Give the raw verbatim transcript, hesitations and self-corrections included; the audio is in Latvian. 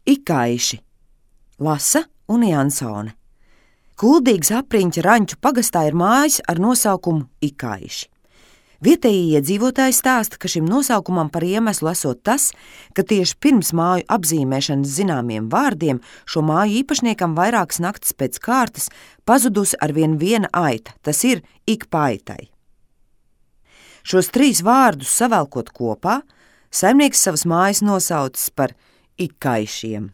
Ikaiši, Lasa un Jansone. Kuldīgas apriņķa Raņķu pagastā ir mājas ar nosaukumu Ikaiši. Vietējie iedzīvotāji stāsta, ka šim nosaukumam par iemeslu esot tas, ka tieši pirms māju apzīmēšanas zināmiem vārdiem šo māju īpašniekam vairākas naktis pēc kārtas pazudusi arvien viena aita, tas ir ik pa aitai. Šos trīs vārdus savelkot kopā, saimnieks savas mājas nosaucis par Ikaišiem.